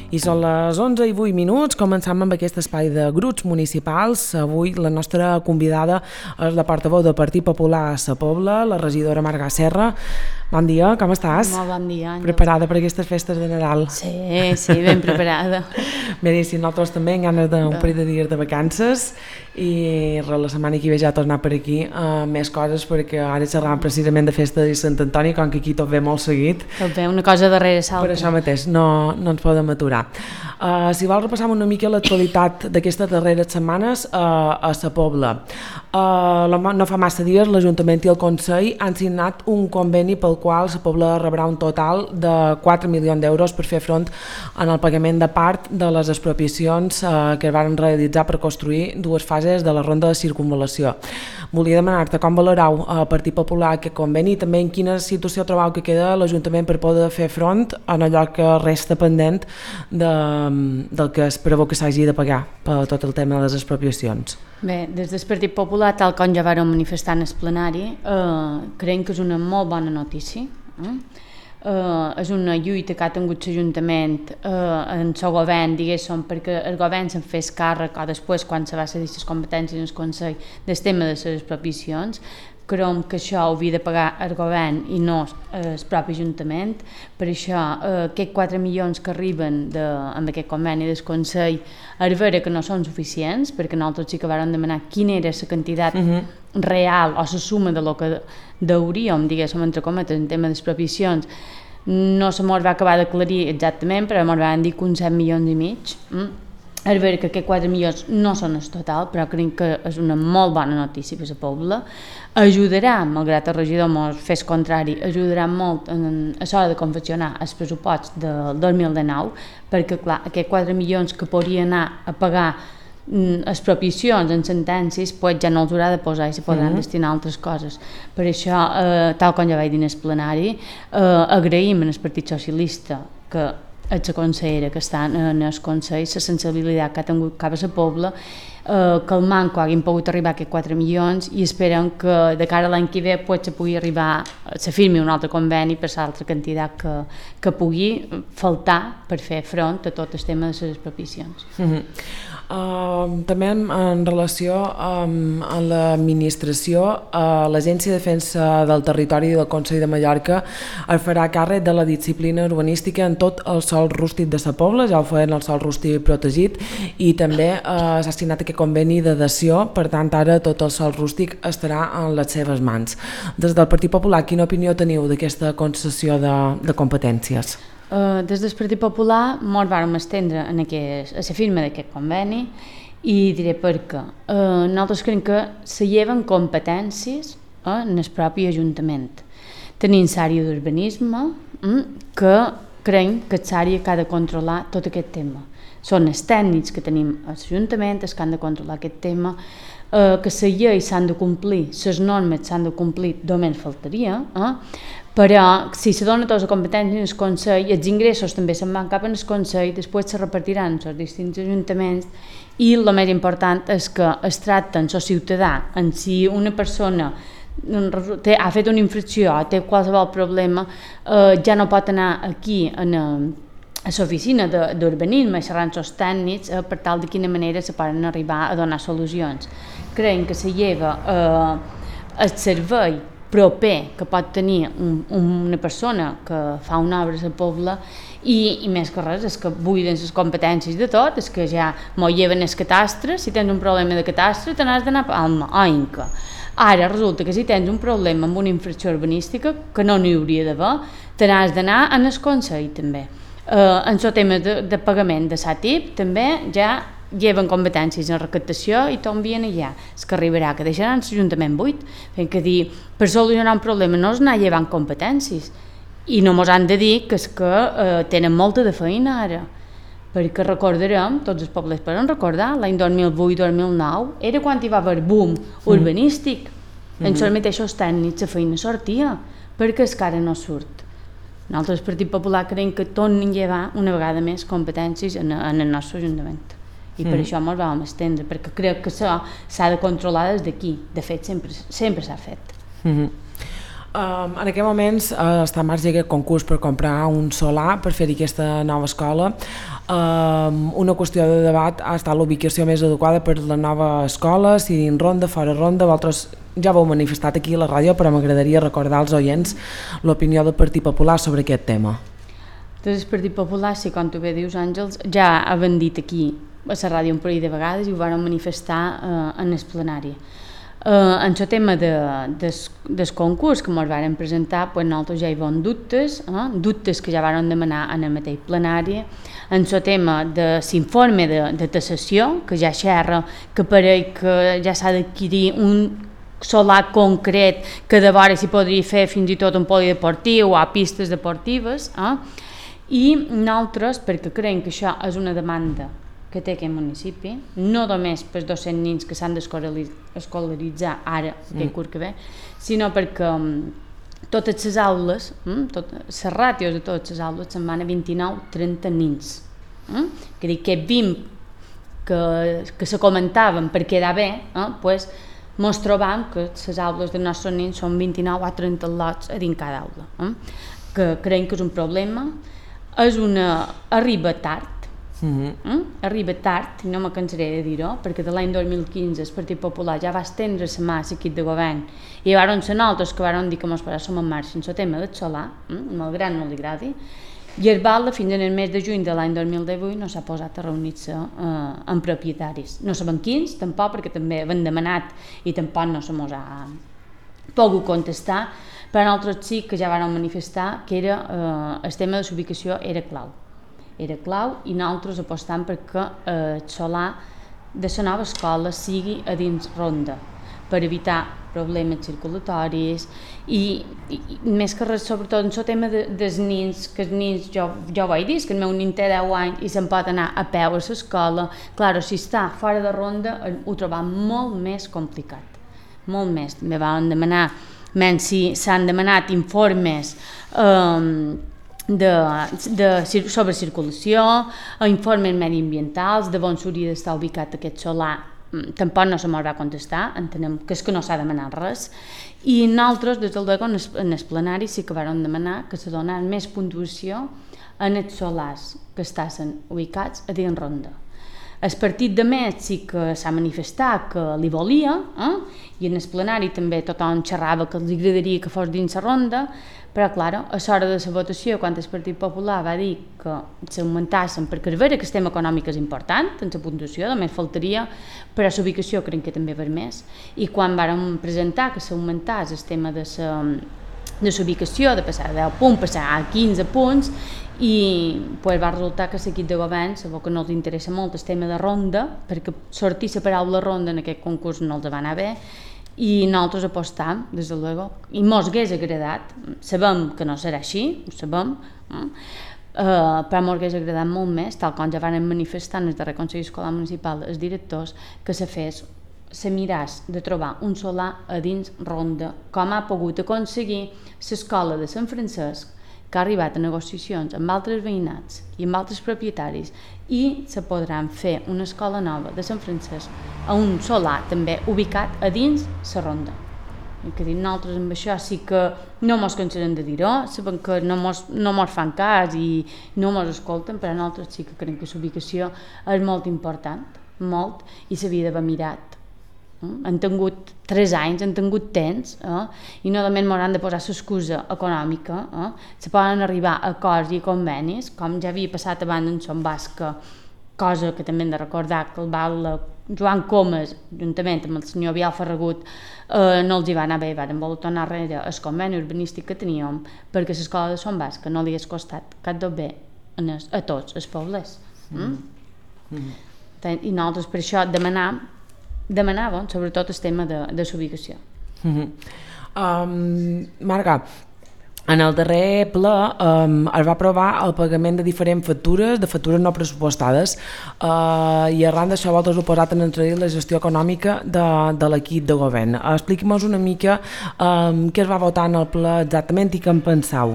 I són les 11:08, començam amb aquest espai de grups municipals. Avui la nostra convidada és la portaveu del Partit Popular a Sa Pobla, la regidora Marga Serra. Bon dia, com estàs? Molt bon dia, Àngels. Preparada per aquestes festes de Nadal? Sí, ben preparada. Bé, sí, nosaltres també en ganes d'un parell de dies de vacances i la setmana que ve ja tornar per aquí més coses, perquè ara xerràvem precisament de festa de Sant Antoni, com que aquí tot ve molt seguit. Tot ve una cosa darrere l'altra. Per això mateix, no ens podem aturar. Si vols repassar una mica l'actualitat d'aquestes darreres setmanes a Sa Pobla. No fa massa dies l'Ajuntament i el Consell han signat un conveni pel qual Sa Pobla rebrà un total de 4 milions d'euros per fer front en el pagament de part de les expropiacions que es van realitzar per construir dues fases de la ronda de circunvalació. Volia demanar-te com valorau el Partit Popular aquest conveni i també en quina situació trobau que queda l'Ajuntament per poder fer front en allò que resta pendent del que es preveu que s'hagi de pagar per tot el tema de les expropiacions. Bé, des del Partit Popular, tal com ja vàrem manifestar en el plenari, creiem que és una molt bona notícia. És una lluita que ha tingut l'Ajuntament en el govern, diguéssim, perquè el govern se'n fes càrrec o després, quan se va cedir les competències en el Consell del tema de les expropiacions. Creiem que això ho havia de pagar el govern i no el propi Ajuntament. Per això, aquests 4 milions que arriben amb aquest conveni del Consell, és vera que no són suficients, perquè nosaltres sí que vam demanar quina era la quantitat real o la suma de lo que deuríem, diguéssim, entre cometes, en tema d'expropiacions. No se mos va acabar d'aclarir exactament, però mos van dir que uns 7 milions i mig. És vera que aquests 4 milions no són el total, però crec que és una molt bona notícia per a la Pobla. Ajudarà, malgrat el regidor mos fes contrari, ajudarà molt a l'hora de confeccionar els pressuposts del 2019, perquè clar, aquests 4 milions que podria anar a pagar expropiacions en sentències, pues ja no els haurà de posar i se podran destinar a altres coses. Per això, tal com ja vaig dir en el plenari, agraïm al Partit Socialista que és la consellera que està en el Consell, la sensibilitat que ha tingut cap a la Pobla, que el manco hagin pogut arribar a aquests 4 milions i esperem que de cara a l'any que ve se pugui arribar, se firmi un altre conveni per l'altra quantitat que pugui faltar per fer front a tot el tema de les expropiacions. També en relació amb l'administració, l'Agència de Defensa del Territori del Consell de Mallorca es farà càrrec de la disciplina urbanística en tot el sòl rústic de Sa Pobla, ja ho feien el sòl rústic protegit, i també s'ha signat aquest conveni de dació, per tant ara tot el sòl rústic estarà en les seves mans. Des del Partit Popular, quina opinió teniu d'aquesta concessió de competències? Des del Partit Popular ens vam estendre a la firma d'aquest conveni i diré per què. Nosaltres creiem que se lleven competències en el propi Ajuntament. Tenim l'àrea d'urbanisme que creiem que és l'àrea que ha de controlar tot aquest tema. Són els tècnics que tenim a l'Ajuntament els que han de controlar aquest tema, que les lleis s'han de complir, les normes s'han de complir, només faltaria, però si se dona tota la competència en el Consell, els ingressos també se'n van cap en el Consell, després se repartiran en els distints ajuntaments i el més important és que es tracta en el ciutadà, en si una persona ha fet una infracció o té qualsevol problema, ja no pot anar aquí a l'oficina d'urbanisme, xerrant els tècnics per tal de quina manera se poden arribar a donar solucions. Creiem que se lleva el servei proper que pot tenir una persona que fa una obra a la Pobla i més que res és que buiden les competències de tot, és que ja m'ho lleven el catastre, si tens un problema de catastre te n'has d'anar a Palma o Inca. Ara resulta que si tens un problema amb una infracció urbanística, que no n'hi hauria d'haver, te n'has d'anar en el Consell també. En el tema de pagament de SATIP també ja lleven competències en recaptació i t'envien allà. És que arribarà que deixaran l'Ajuntament buit, fent que dir, per solucionar un problema no és anar llevant competències i no mos han de dir que és que tenen molta de feina ara, perquè recordarem, tots els pobles poden recordar, l'any 2008-2009 era quan hi va haver boom urbanístic, en els mateixos tècnics la feina sortia, perquè és que ara no surt. Nosaltres, el Partit Popular, creiem que tornin a llevar una vegada més competències en el nostre Ajuntament. I per això ens vam estendre, perquè crec que això s'ha de controlar des d'aquí. De fet, sempre s'ha fet. En aquest moments està en marxa aquest concurs per comprar un solar per fer-hi aquesta nova escola. Una qüestió de debat ha estat l'ubicació més adequada per la nova escola, si dins ronda, fora ronda. Vosaltres ja ho heu manifestat aquí a la ràdio, però m'agradaria recordar als oients l'opinió del Partit Popular sobre aquest tema. Doncs el Partit Popular, sí, com tu bé dius, Àngels, ja han dit aquí a la ràdio un parell de vegades i ho van manifestar en el plenari. En el tema del concurs que ens varen presentar, pues nosaltres ja hi vam dubtes, dubtes que ja varen demanar en el mateix plenari. En el tema de l'informe de taxació, que ja xerra que pareix que ja s'ha d'adquirir un solar concret que de vora s'hi podria fer fins i tot un polideportiu o a pistes deportives, i nosaltres, perquè creiem que això és una demanda que té aquest municipi, no només per 200 nens que s'han d'escolaritzar ara, aquest curs que ve, sinó perquè totes les aules, les ràtios de totes les aules se'n van a 29-30 nens. Que dic que 20 que se comentaven per quedar bé, pues, mos trobam que les aules dels nostres nens són 29 a 30 lots a dins cada aula. Que creiem que és un problema, arriba tard, arriba tard, no me cansaré de dir-ho, perquè de l'any 2015 el Partit Popular ja va estendre la mà a l'equip de govern i hi van ser nosaltres que van dir que ens posàssim en marxa en el tema del solar, malgrat no li agradi, i el BAL fins en el mes de juny de l'any 2018 no s'ha posat a reunir-se amb propietaris. No sabem quins, tampoc, perquè també hem demanat i tampoc no se mos ha pogut contestar, però nosaltres sí que ja vam manifestar que el tema de l'ubicació era clau i nosaltres apostam perquè el solar de la nova escola sigui a dins ronda per evitar problemes circulatoris i més que res, sobretot en el tema dels nens, que els nens, jo ho vaig dir, que el meu nen té 10 anys i se'n pot anar a peu a l'escola, clar, si està fora de ronda ho trobam molt més complicat, molt més. També van demanar, si s'han demanat informes sobre circulació, informes mediambientals, de on s'hauria d'estar ubicat aquest solar, tampoc no se m'ho va contestar, entenem que és que no s'ha demanat res, i nosaltres, des del DECO, en el plenari sí que vam demanar que se donés més puntuació en els solars que estan ubicats a dins ronda. El partit de Met sí que s'ha manifestat que li volia, i en el plenari també tothom xerrava que els agradaria que fos dins la ronda, però clar, a l'hora de la votació, quan el Partit Popular va dir que s'augmentassen, perquè és vera que el tema econòmic és important, en la puntuació, només faltaria, però l'ubicació crec que també per més, i quan vàrem presentar que s'augmentàs el tema de l'ubicació, de passar de 10 punts, passar a 15 punts, i pues, va resultar que l'equip de govern sabeu que no els interessa molt el tema de ronda, perquè sortir la paraula ronda en aquest concurs no els va anar bé, i nosaltres apostam, des de luego, i mos hagués agradat, sabem que no serà així, ho sabem, però mos hagués agradat molt més, tal com ja van manifestar en el darrer Consell Escolar Municipal els directors, que se miràs de trobar un solar a dins ronda, com ha pogut aconseguir l'escola de Sant Francesc, que ha arribat a negociacions amb altres veïnats i amb altres propietaris i se podran fer una escola nova de Sant Francesc a un solar també ubicat a dins la ronda. I que nosaltres amb això sí que no mos cansarem de dir-ho, sabem que no mos fan cas i no mos escolten, però nosaltres sí que creiem que l'ubicació és molt important, molt, i s'havia d'haver mirat. Han tingut 3 anys, han tingut temps, i no només m'hauran de posar l'excusa econòmica, se poden arribar a acords i convenis, com ja havia passat abans en Son Basca, cosa que també hem de recordar que el BAL Joan Comas, juntament amb el senyor Biel Ferragut, no els hi va anar bé, van voler tornar darrere el conveni urbanístic que teníem, perquè l'escola de Son Basca no li hagués costat cap de bé a tots els pobles. I nosaltres per això demanàvem sobretot el tema de l'ubicació. Marga, en el darrer ple es va aprovar el pagament de diferents factures, de factures no pressupostades, i arran d'això vosaltres heu posat en entredit la gestió econòmica de l'equip de govern. Expliqui'm una mica què es va votar en el ple exactament i què en penseu.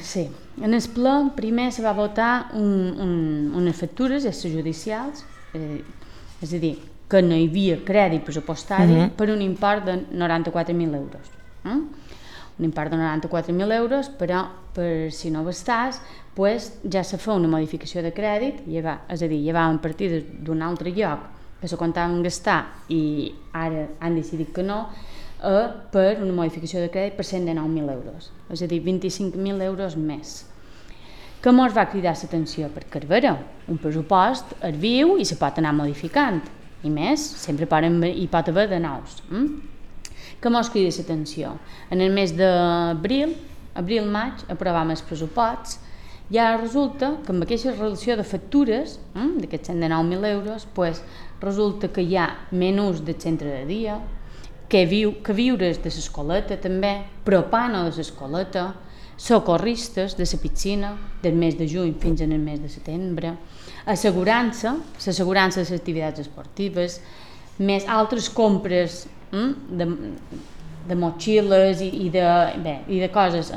Sí, en el ple primer se va votar unes factures extrajudicials, és a dir, que no hi havia crèdit pressupostari per un import de 94.000 euros. un import de 94.000 euros, però per si no bastàs, pues, ja se fa una modificació de crèdit, és a dir, llevaven partides d'un altre lloc que se comptaven gastar i ara han decidit que no, per una modificació de crèdit per 119.000 euros, és a dir, 25.000 euros més. Què mos va cridar l'atenció? Perquè, a veure, un pressupost es viu i se pot anar modificant, i més, sempre hi pot haver de nous. Què mos crida l'atenció? En el mes d'abril, abril-maig, aprovàvem els pressuposts i ara resulta que amb aquesta relació de factures, d'aquests 109.000 euros, pues, resulta que hi ha menús del centre de dia, que viures de l'escoleta també, propano de l'escoleta, socorristes de la piscina del mes de juny fins al mes de setembre, l'assegurança de les activitats esportives, més altres compres de motxilles i de coses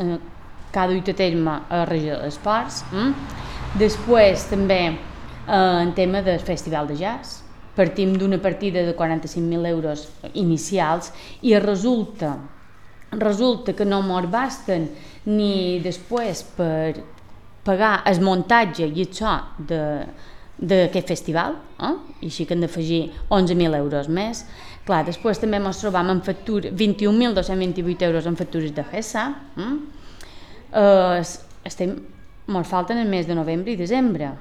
que ha duit a terme a la regió de l'Esports. Després també en tema del festival de jazz, partim d'una partida de 45.000 euros inicials i resulta que no mos basten ni després per pagar el muntatge i això d'aquest festival, i així que hem d'afegir 11.000 euros més. Clar, després també ens trobam en factures, 21.228 euros en factures de GESA. Ens falten el mes de novembre i desembre.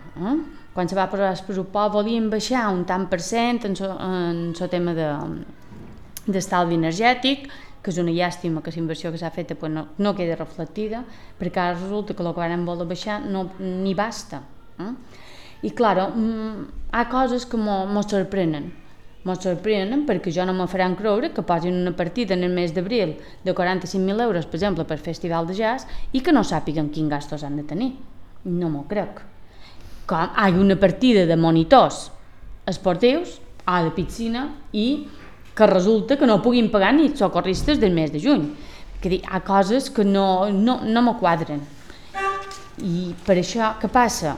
Quan se va posar el pressupost volíem baixar un tant per cent en el tema d'estalvi energètic, que és una llàstima que la inversió que s'ha fet no queda reflectida, perquè ara resulta que el que vam voler baixar no n'hi basta. I clar, hi ha coses que ens sorprenen perquè jo no me faran creure que posin una partida en el mes d'abril de 45.000 euros, per exemple, per festival de jazz i que no sàpiguen quins gastos han de tenir. No m'ho crec. Com hi ha una partida de monitors esportius o de piscina i que resulta que no puguin pagar ni els socorristes del mes de juny. Hi ha coses que no me quadren. I per això, què passa?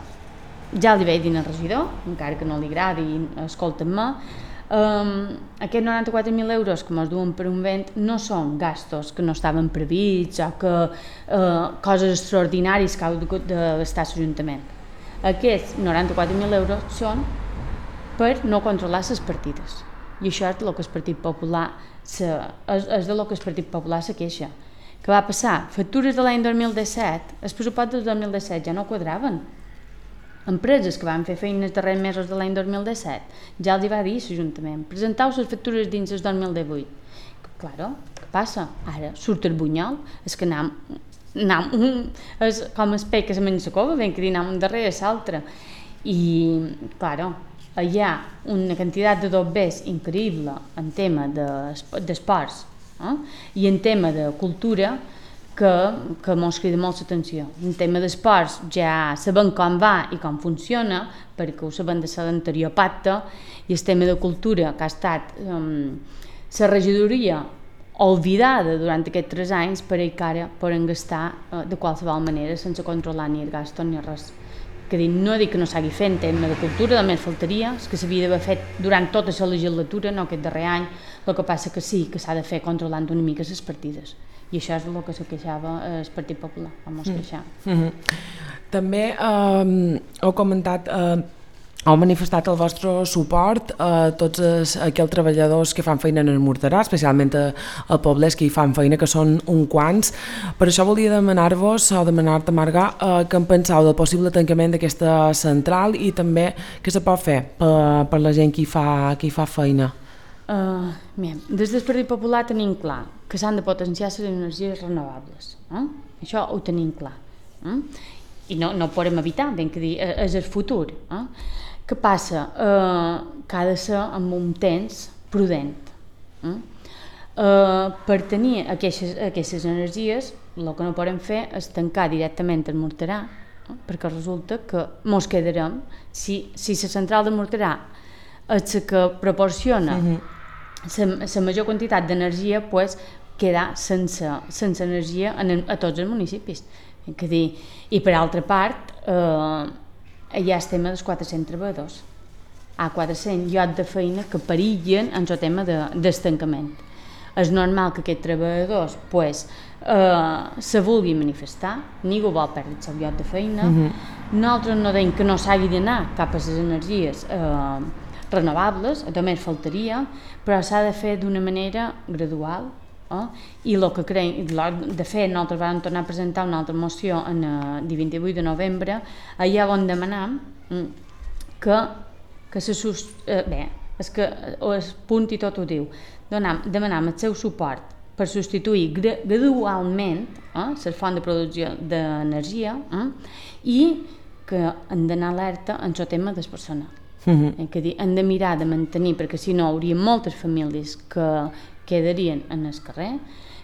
Ja li vaig dir al regidor, encara que no li agradi, escolta'm-me, aquests 94.000 euros que ens duen per un vent no són gastos que no estaven prevists o que coses extraordinàries que ha hagut de gastar l'Ajuntament. Aquests 94.000 euros són per no controlar les partides. I això és del que el Partit Popular se queixa. Què va passar? Factures de l'any 2017, els pressupostos del 2017 ja no quadraven. Empreses que van fer feines els darrers mesos de l'any 2017 ja els hi va dir l'Ajuntament, presenteu les factures dins el 2018. Claro, què passa? Ara surt el bunyol, és que és com el peix que se menja la cova, ben que dir un darrere l'altre. I, claro, hi ha una quantitat de dobbers increïble en tema d'esports i en tema de cultura que ens crida molt l'atenció. En tema d'esports ja sabem com va i com funciona, perquè ho sabem de l'anterior pacte, i el tema de cultura, que ha estat la regidoria oblidada durant aquests 3 anys, per que ara poden gastar de qualsevol manera sense controlar ni el gasto ni res. No dic que no s'hagi fet en tema de cultura, només faltaria, és que s'havia d'haver fet durant tota la legislatura, no aquest darrer any, el que passa que sí, que s'ha de fer controlant una mica les partides. I això és el que se queixava el Partit Popular, vam queixar. També heu comentat, heu manifestat el vostre suport a tots aquells treballadors que fan feina en el Morterà, especialment a poblets que hi fan feina, que són uns quants. Per això volia demanar-vos, o demanar-te, Marga, què en penseu del possible tancament d'aquesta central i també què se pot fer per la gent que hi fa feina. Des del Partit Popular tenim clar que s'han de potenciar les energies renovables. Això ho tenim clar. I no ho podem evitar, ben que dir, és el futur. Què passa? Que ha de ser amb un temps prudent. Per tenir aquestes energies, el que no podem fer és tancar directament el Morterà, perquè resulta que ens quedarem, si la central de Morterà és la que proporciona la major quantitat d'energia, pues, quedar sense energia a tots els municipis. I per altra part, hi ha el tema dels 400 treballadors. Hi ha 400 llocs de feina que perillen en el tema d'estancament. és normal que aquests treballadors se vulguin manifestar, ningú vol perdre el seu lloc de feina. Nosaltres no deim que no s'hagi d'anar cap a les energies renovables, només faltaria, però s'ha de fer d'una manera gradual. I el que creiem, de fet, nosaltres vam tornar a presentar una altra moció el dia 28 de novembre, allà on demanam que és que el punt i tot ho diu, demanam el seu suport per substituir gradualment les fonts de producció d'energia i que hem d'anar alerta en el tema del personal. Hem de mirar de mantenir, perquè si no hi hauria moltes famílies que quedarien en el carrer.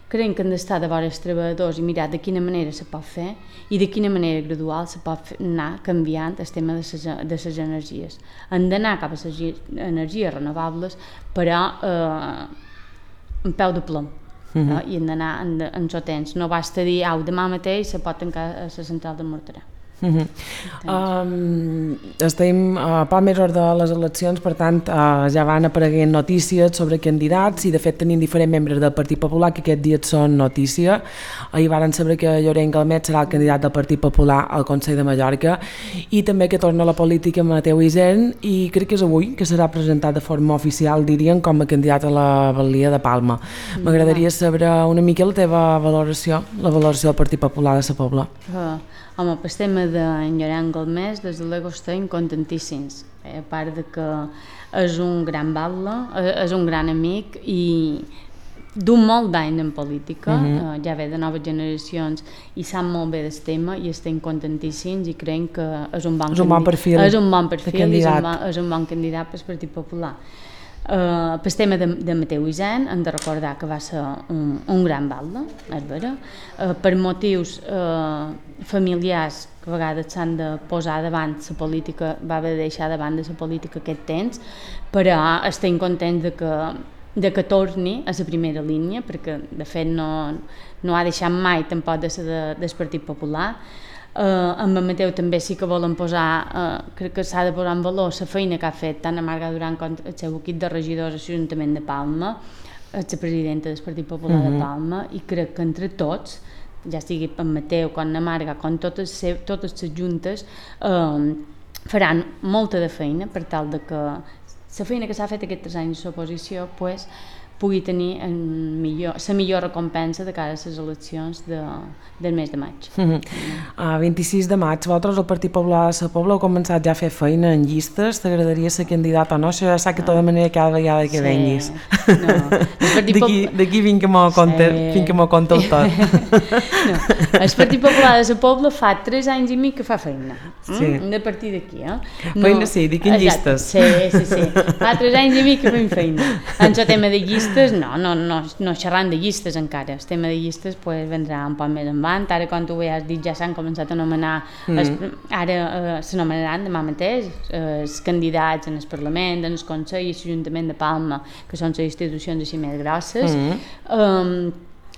Creiem que hem d'estar de vora els treballadors i mirar de quina manera se pot fer i de quina manera gradual se pot anar canviant el tema de les energies. Hem d'anar cap a les energies renovables, però en peu de plom. I hem d'anar en el temps. No basta dir, demà mateix se pot tancar la central de Mortarà. Estem a poc més hora de les eleccions, per tant ja van apareguent notícies sobre candidats i de fet tenim diferents membres del Partit Popular que aquests dies són notícia. Ahir varen saber que Llorenç Galmet serà el candidat del Partit Popular al Consell de Mallorca i també que torna a la política Mateu Isern i crec que és avui que serà presentat de forma oficial, diríem, com a candidat a la Balia de Palma. M'agradaria saber una mica la teva valoració, la valoració del Partit Popular de la Pobla. Home, pel tema d'en Llorenç Galmet, des de l'Ego estem contentíssims, a part de que és un gran batlle, és un gran amic i d'un molt d'any en política, ja ve de noves generacions i sap molt bé del tema i estem contentíssims i creiem que és un bon perfil i és un bon candidat pel Partit Popular. Pel tema de Mateu Isern hem de recordar que va ser un gran batlle, és vera, per motius familiars que a vegades s'han de posar davant la política, va haver de deixar davant de la política aquest temps, però estem contents de que torni a la primera línia, perquè de fet no ha deixat mai tampoc de ser del Partit Popular. Amb en Mateu també sí que volen posar, crec que s'ha de posar en valor la feina que ha fet tant a Marga Duran com el seu equip de regidors a l'Ajuntament de Palma, la presidenta del Partit Popular de Palma, i crec que entre tots, ja sigui en Mateu com en Marga, com totes les juntes, faran molta de feina per tal de que la feina que s'ha fet aquests 3 anys d'oposició pugui tenir la millor recompensa de cara a les eleccions del mes de maig. 26 de maig, vosaltres el Partit Popular de la Pobla heu començat ja a fer feina en llistes, t'agradaria ser candidat o no? Això ja sap que tota manera cada vegada que venguis. D'aquí fins que m'ho conteu tot. El Partit Popular de la Pobla fa 3 anys i mig que fa feina. Hem de partir d'aquí. Feina sí, dic en llistes. Sí. Fa 3 anys i mig que fem feina. En el tema de llistes no xerrant de llistes encara, el tema de llistes vendrà un poc més endavant, ara com tu bé has dit ja s'han començat a anomenar, ara s'anomenaran demà mateix els candidats en el Parlament, en el Consell i l'Ajuntament de Palma, que són les institucions així més grosses.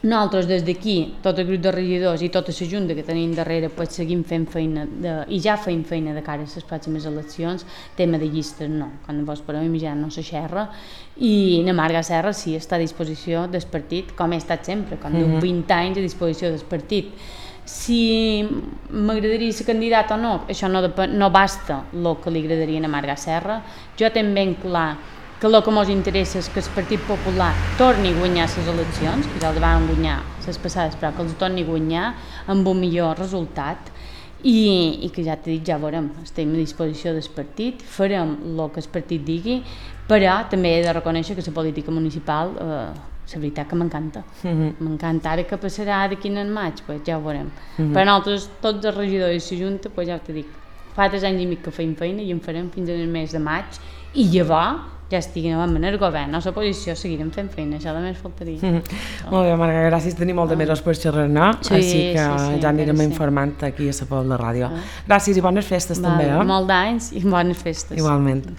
Nosaltres des d'aquí, tot el grup de regidors i tota la junta que tenim darrere, seguim fent feina i ja fem feina de cara a les pròximes eleccions. Tema de llistes no, quan vos podeu imaginar no se xerra, i na Marga Serra sí està a disposició del partit, com he estat sempre, com 20 anys a disposició del partit. Si m'agradaria ser candidat o no, això no basta el que li agradaria a Marga Serra. Jo tinc ben clar que el que ens interessa és que el Partit Popular torni a guanyar les eleccions, que ja el van guanyar les passades, però que els torni a guanyar amb un millor resultat i que ja t'he dit, ja veurem, estem a disposició del partit, farem el que el partit digui, però també he de reconèixer que la política municipal, la veritat que m'encanta. M'encanta. Ara que passarà d'aquí en maig, ja ho veurem. Per nosaltres, tots els regidors i la Junta, ja t'he dit, fa 3 anys i mig que fem feina i en farem fins al mes de maig, i llavors ja estiguem en el govern, a l'oposició seguirem fent feina, això només faltaria. Molt bé, Marga, gràcies, tenim molt de més per xerrar, no? Així que ja anirem informant aquí a la Pobla Ràdio. Gràcies i bones festes també. Molt d'anys i bones festes. Igualment.